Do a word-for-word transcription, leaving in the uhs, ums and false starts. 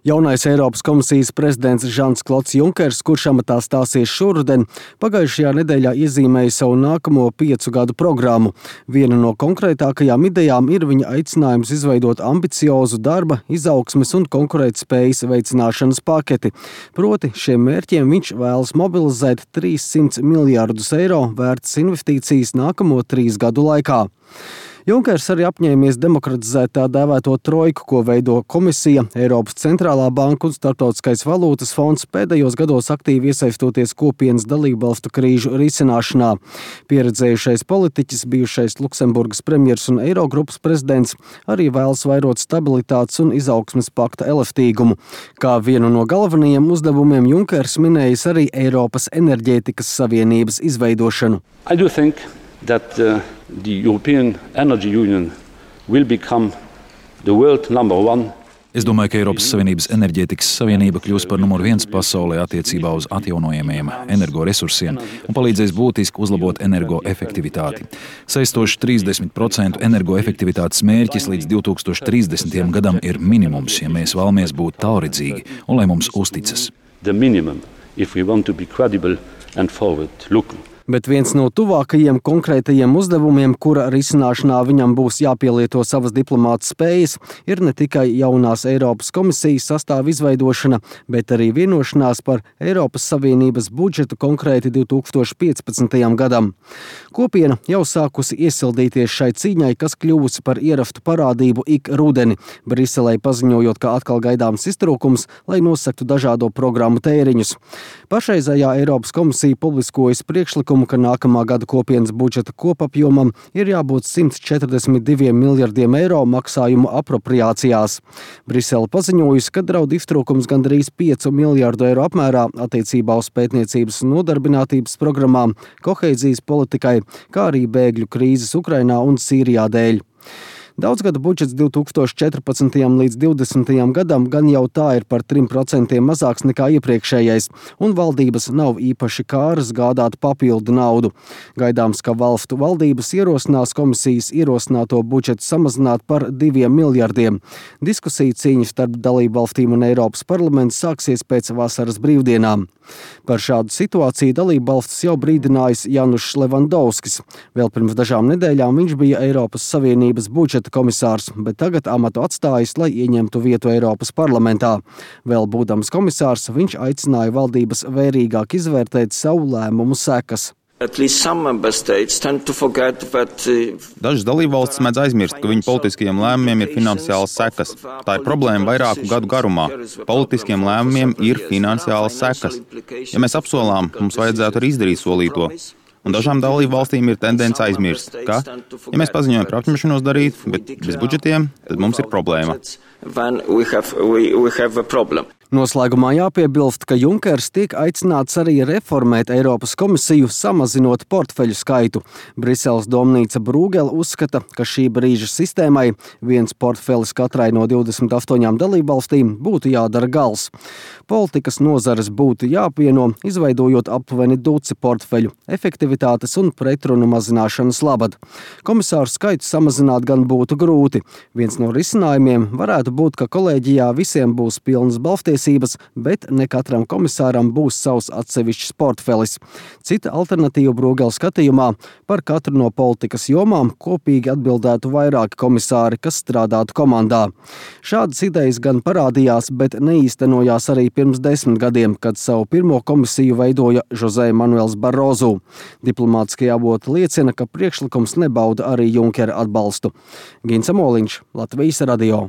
Jaunais Eiropas komisijas prezidents Žans Klods Junkers, kurš amatā stāsies šoruden, pagājušajā nedēļā iezīmēja savu nākamo piecu gadu programmu. Viena no konkrētākajām idejām ir viņa aicinājums izveidot ambiciozu darba, izaugsmes un konkurētspējas veicināšanas paketi. Proti, šiem mērķiem viņš vēlas mobilizēt trīssimts miljārdus eiro vērtas investīcijas nākamo trīs gadu laikā. Junkers arī apņēmies demokratizēt tā dēvēto trojku, ko veido Komisija, Eiropas centrālā banka un Starptautiskais valūtas fonds, pēdējos gados aktīvi iesaistoties kopienas dalībvalstu krīžu risināšanā. Pieredzējušais politiķis, bijušais Luksemburgas premjers un Eirogrupas prezidents arī vēlas vairot stabilitātes un izaugsmes pakta elastīgumu. Kā vienu no galvenajiem uzdevumiem Junkers minējis arī Eiropas enerģētikas savienības izveidošanu. I do think that uh, the European Energy Union will become the world number one. Es domāju, ka Eiropas Savienības enerģētikas savienība kļūs par numur viens pasaulē attiecībā uz atjaunojamajiem energoresursiem un palīdzēs būtiski uzlabot energoefektivitāti. Saistošs trīsdesmit procentu energoefektivitātes mērķis līdz divi tūkstoši trīsdesmitajam gadam ir minimums, ja mēs vēlamies būt tālredzīgi un lai mums uzticas. The minimum, if we want to be credible and forward-looking. Bet viens no tuvākajiem konkrētajiem uzdevumiem, kura risināšanā viņam būs jāpielieto savas diplomāta spējas, ir ne tikai jaunās Eiropas komisijas sastāva izveidošana, bet arī vienošanās par Eiropas Savienības budžetu konkrēti divi tūkstoši piecpadsmitajam gadam. Kopiena jau sākusi iesildīties šai cīņai, kas kļuvusi par ierastu parādību ik rudeni, Briselei paziņojot, ka atkal gaidāms iztrūkums, lai nosaktu dažādo programmu tēriņus. Pašreizējā Eiropas komisija publiskojas priekšlikumu, ka nākamā gada kopienas budžeta kopapjomam ir jābūt simts četrdesmit diviem miljardiem eiro maksājumu apropriācijās. Brisele paziņojusi, ka draud iztrūkums gandrīz piecu miljardu eiro apmērā attiecībā uz pētniecības un nodarbinātības programmām, kohēzijas politikai, kā arī bēgļu krīzes Ukrainā un Sīrijā dēļ. Daudzgada budžets divi tūkstoši četrpadsmitajam līdz divdesmitajam gadam gan jau tā ir par trim procentiem mazāks nekā iepriekšējais, un valdības nav īpaši kāras gādāt papildu naudu. Gaidāms, ka valstu valdības ierosinās komisijas ierosināto budžetu samazināt par diviem miljardiem. Diskusija cīņa starp dalību valstīm un Eiropas parlamentu sāksies pēc vasaras brīvdienām. Par šādu situāciju dalību valstis jau brīdinājis Janušs Levandovskis. Vēl pirms dažām nedēļām viņš bija Eiropas Savienības budžeta komisārs, bet tagad amatu atstājis, lai ieņemtu vietu Eiropas parlamentā. Vēl būdams komisārs, viņš aicināja valdības vērīgāk izvērtēt savu lēmumu sekas. Dažas dalībvalstis mēdz aizmirst, ka viņu politiskajiem lēmumiem ir finansiālas sekas. Tā ir problēma vairāku gadu garumā. Politiskiem lēmumiem ir finansiālas sekas. Ja mēs apsolām, mums vajadzētu arī izdarīt solīto. Un dažām dalību valstīm ir tendence aizmirst, ka, ja mēs paziņojam par apņemšanos darīt, bet bez budžetiem, tad mums ir problēma. Noslēgumā jāpiebilst, ka Junkers tiek aicināts arī reformēt Eiropas komisiju, samazinot portfeļu skaitu. Briseles domnīca Brūgele uzskata, ka šī brīža sistēmai viens portfelis katrai no divdesmit astoņām dalībvalstīm būtu jādara gals. Politikas nozares būtu jāapvieno, izveidojot aptuveni duci portfeļu, efektivitātes un pretrunu mazināšanas labad. Komisāru skaitu samazināt gan būtu grūti. Viens no risinājumiem varētu būt, ka kolēģijā visiem būs pilnas balvtiesības, bet ne katram komisāram būs savs atsevišķs portfelis. Cita alternatīva Brūgele skatījumā par katru no politikas jomām kopīgi atbildētu vairāki komisāri, kas strādātu komandā. Šādas idejas gan parādījās, bet neīstenojās arī pirms desmit gadiem, kad savu pirmo komisiju veidoja José Manuels Barroso. Diplomātiskie avoti liecina, ka priekšlikums nebauda arī Junkera atbalstu. Gins Amoliņš, Latvijas radio.